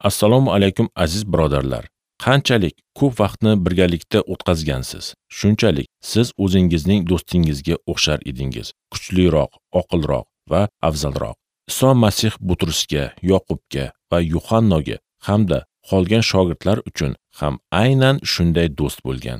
Assalomu alaykum aziz birodarlar. Qanchalik ko'p vaqtni birgalikda o'tkazgansiz, shunchalik siz o'zingizning do'stingizga o'xshar edingiz. Kuchliroq, oqilroq va afzalroq. Iso Masih Butrusga, Yoqubga va Yuhannoga hamda qolgan shogirdlar uchun ham aynan shunday do'st bo'lgan.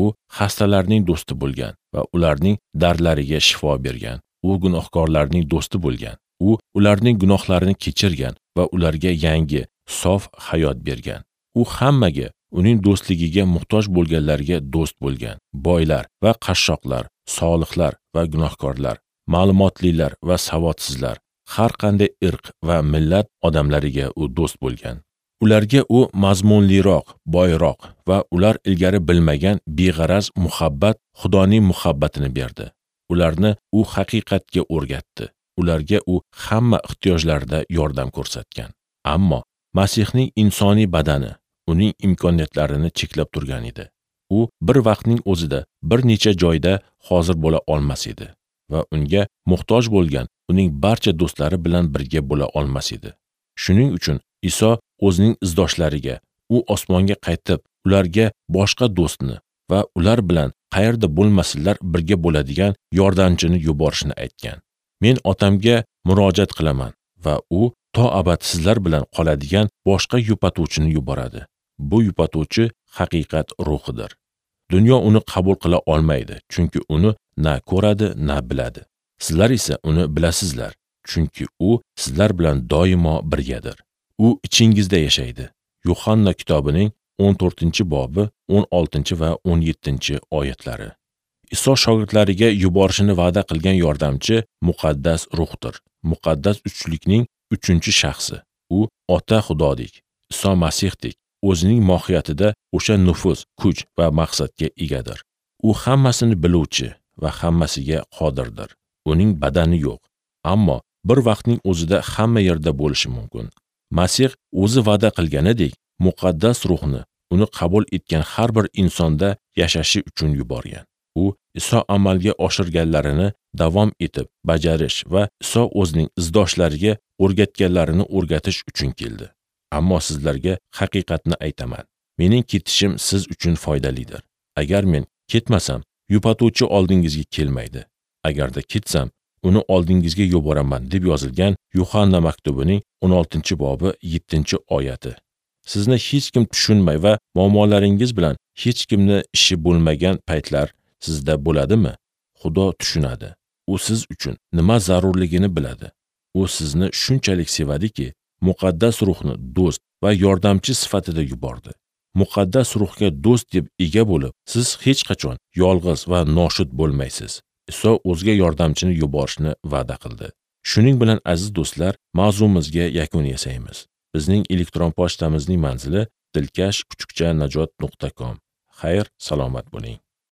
U xastalarning do'sti bo'lgan va ularning dardlariga shifo bergan. U gunohkorlarning do'sti bo'lgan. U ularning gunohlarini kechirgan va ularga yangi, sof hayot bergan. U hammaga, uning do'stligiga muhtoj bo'lganlarga do'st bo'lgan. Boylar va qashshoqlar, solihlar va gunohkorlar, ma'lumotlilar va savodsizlar, har qanday irq va millat odamlariga u do'st bo'lgan. Ularga u mazmunliroq, boyroq va ular ilgari bilmagan beg'araz muhabbat, Xudoning muhabbatini berdi. Ularni u haqiqatga o'rgatdi. Ularga u hamma ehtiyojlarida yordam ko'rsatgan. Ammo Masihning insoniy badani uning imkoniyatlarini cheklab turgan edi. U bir vaqtning o'zida bir necha joyda hozir bo'la olmas edi va unga muhtoj bo'lgan uning barcha do'stlari bilan birga bo'la olmas edi. Shuning uchun Iso o'zining izdoshlariga u osmonga qaytib, ularga boshqa do'stni va ular bilan qayerda bo'lmasinlar birga bo'ladigan yordamchini yuborishini aytgan. Men otamga murojaat qilaman va u to abad sizlar bilan qoladigan boshqa yupatuvchini yuboradi. Bu yupatuvchi haqiqat ruhidir. Dunyo uni qabul qila olmaydi, chunki uni na ko'radi, na biladi. Sizlar esa uni bilasizlar, chunki u sizlar bilan doimo birgadir. U ichingizda yashaydi. Yuhanna kitobining 14-bobi 16 va 17 oyatlari. Iso shogirdlariga yuborishini va'da qilgan yordamchi muqaddas ruhdir. Muqaddas uchlikning 3-shaxsi. U Ota Xudodek, Iso Masihdek o'zining mohiyatida o'sha nufuz, kuch va maqsadga egadir. U hammasini biluvchi va hammasiga qodirdir. Uning badani yo'q, ammo bir vaqtning o'zida hamma yerda bo'lishi mumkin. Masih o'zi va'da qilganidek muqaddas ruhni uni qabul etgan har bir insonda yashashi uchun yuborgan. U Iso amalga oshirganlarini davom etib bajarish va Iso o'zining izdoshlariga o'rgatganlarini o'rgatish uchun keldi. Ammo sizlarga haqiqatni aytaman. Mening ketishim siz uchun foydalidir. Agar men ketmasam, yupatuvchi oldingizga kelmaydi. Agarda ketsam, uni oldingizga yuboraman deb yozilgan Yuhanna maktubining 16-bobi 7-oyati. Sizni hech kim tushunmay va muammolaringiz bilan hech kimni ishi bo'lmagan paytlar sizda bo'ladimi? Xudo tushunadi. U siz uchun nima zarurligini biladi. U sizni shunchalik sevadiki, muqaddas ruhni do'st va yordamchi sifatida yubordi. Muqaddas ruhga do'st deb ega bo'lib, siz hech qachon yolg'iz va noshud bo'lmaysiz. Iso o'zga yordamchini yuborishni va'da qildi. Shuning bilan aziz do'stlar, mavzumizga yakun yasaymiz. Bizning elektron pochtamizning manzili dilkash@najot.com. Xayr, salomat bo'ling.